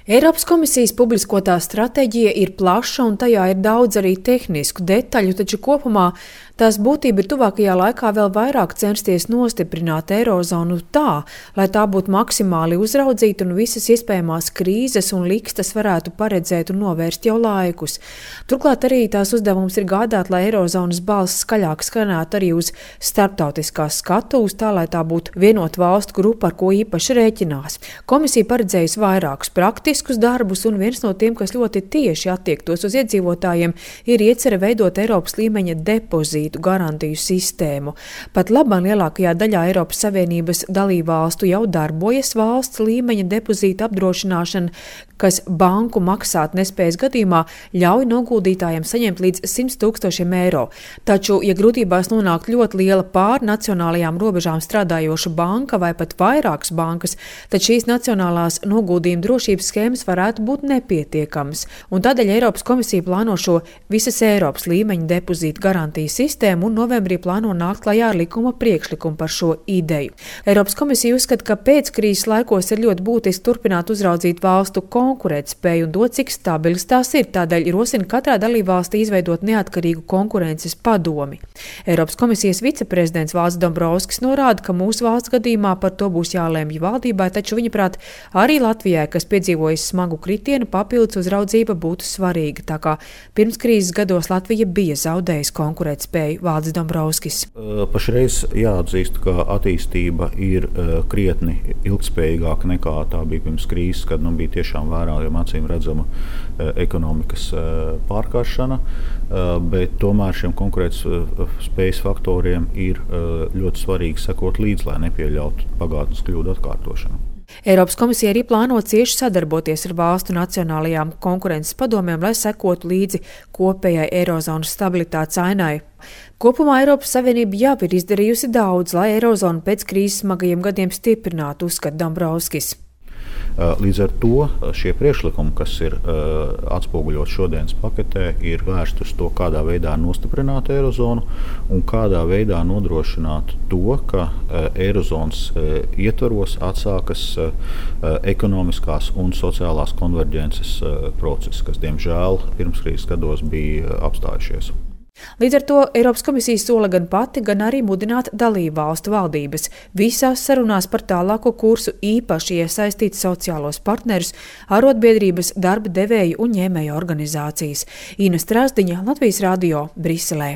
Eiropas komisijas publiskotā stratēģija ir plaša un tajā ir daudz arī tehnisku detaļu, taču kopumā tās būtība ir tuvākajā laikā vēl vairāk censties nostiprināt eirozonu tā, lai tā būtu maksimāli uzraudzīta un visas iespējamās krīzes un likstas varētu paredzēt un novērst jau laikus. Turklāt arī tās uzdevums ir gādāt, lai eirozonas balss skaļāk skanētu arī uz starptautiskās skatuves, tā lai tā būtu vienota valstu grupa, ar ko īpaši rēķinās. Komisija paredzējusi vairākus praktiskus darbus, un viens no tiem, kas ļoti tieši attiektos uz iedzīvotājiem, ir iecerē veidot Eiropas līmeņa depozītu garantiju sistēmu. Pat labāk lielākajā daļā Eiropas Savienības dalībvalstu jau darbojas valsts līmeņa depozīta apdrošināšana, kas banku maksāt nespējas gadījumā ļauj noguldītājiem saņemt līdz 100 000 eiro. Taču, ja grūtībās nonāk ļoti liela pār nacionālajām robežām strādājoša banka vai pat vairākas bankas, tad šīs nacionālās noguldījuma drošības schēmas varētu būt nepietiekamas. Un tādēļ Eiropas komisija plāno šo visas Eiropas līmeņa depozītu garantiju sistēmu un novembrī plāno nākt klajā ar likuma priekšlikumu par šo ideju. Eiropas komisija uzskata, ka pēckrīzes laikos ir ļoti būtiski turpināt uzraudzīt valstu konkurētspēju un dot, cik stabilas tās ir. Tādēļ rosina katrā dalībvalstī izveidot neatkarīgu konkurences padomi. Eiropas komisijas viceprezidents Valdis Dombrovskis norāda, ka mūsu valsts gadījumā par to būs jālēmj valdībai, taču viņaprāt arī Latvijai, kas piedzīvojas smagu kritienu, papildus uzraudzība būtu svarīga. Tā kā pirms krīzes gados Latvija bija zaudējusi konkurētspēju. Valdis Dombrovskis. Pašreiz jāatzīst, ka attīstība ir krietni ilgspējīgāka nekā tā bija pirms krīzes, kad bija tiešām vērojama acīm redzama ekonomikas pārkāršana, bet tomēr šiem konkurētspējas faktoriem ir ļoti svarīgi sekot līdzi, lai nepieļautu pagātnes kļūdu atkārtošanu. Eiropas komisija arī plāno cieši sadarboties ar valstu nacionālajām konkurences padomēm, lai sekotu līdzi kopējai eirozonas stabilitātes ainai. Kopumā Eiropas Savienība jau ir izdarījusi daudz, lai eirozonu pēc krīzes smagajiem gadiem stiprinātu, uzskata Dombrovskis. Līdz ar to šie priekšlikumi, kas ir atspoguļot šodienas paketē, ir vērsti uz to, kādā veidā nostiprināt eirozonu un kādā veidā nodrošināt to, ka eirozonas ietvaros atsākas ekonomiskās un sociālās konverģences procesi, kas, diemžēl, pirmskrīzes gados bija apstājušies. Līdz ar to Eiropas komisija sola gan pati, gan arī mudināt dalībvalstu valdības visās sarunās par tālāko kursu īpaši iesaistīt sociālos partnerus, arotbiedrības, darba devēju un ņēmēju organizācijas. Ina Strasdiņa, Latvijas Radio, Briselē.